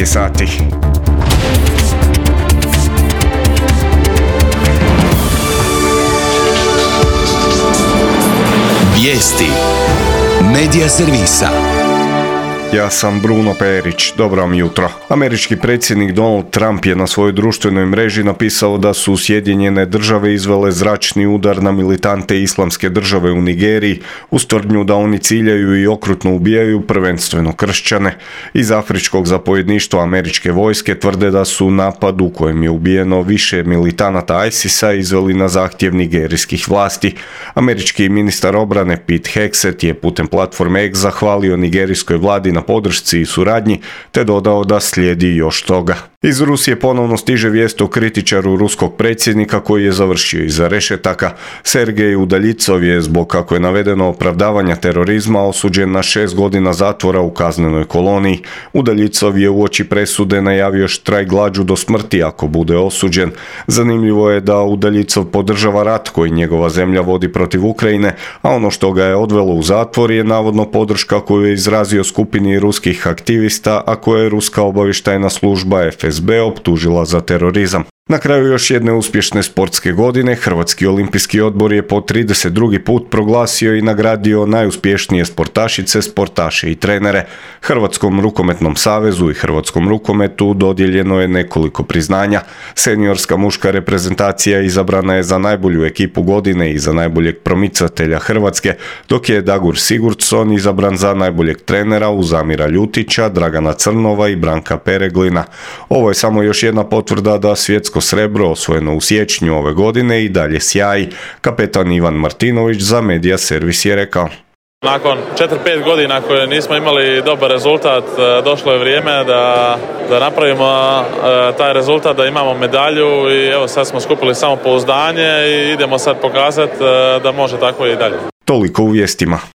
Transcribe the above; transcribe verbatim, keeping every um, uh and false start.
je sati. Vijesti Medija servisa. Ja sam Bruno Perić, dobro vam jutro. Američki predsjednik Donald Trump je na svojoj društvenoj mreži napisao da su Sjedinjene države izvele zračni udar na militante Islamske države u Nigeriji uz tvrdnju da oni ciljaju i okrutno ubijaju prvenstveno kršćane. Iz afričkog zapovjedništva američke vojske tvrde da su napad u kojem je ubijeno više militanata ISIS-a izveli na zahtjev nigerijskih vlasti. Američki ministar obrane Pete Hegseth je putem platforme X zahvalio nigerijskoj vladi na podršci i suradnji, te dodao da slijedi još toga. Iz Rusije ponovno stiže vijest o kritičaru ruskog predsjednika koji je završio iza rešetaka. Sergej Udaljicov je zbog, kako je navedeno, opravdavanja terorizma osuđen na šest godina zatvora u kaznenoj koloniji. Udaljicov je uoči presude najavio štrajk glađu do smrti ako bude osuđen. Zanimljivo je da Udaljicov podržava rat koji njegova zemlja vodi protiv Ukrajine, a ono što ga je odvelo u zatvor je navodno podrška koju je izrazio skupini ruskih aktivista, a koje je ruska obavještajna služba F S B optužila za terorizam. Na kraju još jedne uspješne sportske godine, Hrvatski olimpijski odbor je po trideset drugi put proglasio i nagradio najuspješnije sportašice, sportaše i trenere. Hrvatskom rukometnom savezu i Hrvatskom rukometu dodijeljeno je nekoliko priznanja. Seniorska muška reprezentacija izabrana je za najbolju ekipu godine i za najboljeg promicatelja Hrvatske, dok je Dagur Sigurdsson izabran za najboljeg trenera uz Amira Ljutića, Dragana Crnova i Branka Pereglina. Ovo je samo još jedna potvrda da svjetsko srebro osvojeno u siječnju ove godine i dalje sjaji. Kapetan Ivan Martinović za Medija servis je rekao: Nakon četiri pet godina koje nismo imali dobar rezultat, došlo je vrijeme da, da napravimo taj rezultat, da imamo medalju i evo sad smo skupili samopouzdanje i idemo sad pokazati da može tako i dalje. Toliko u vijestima.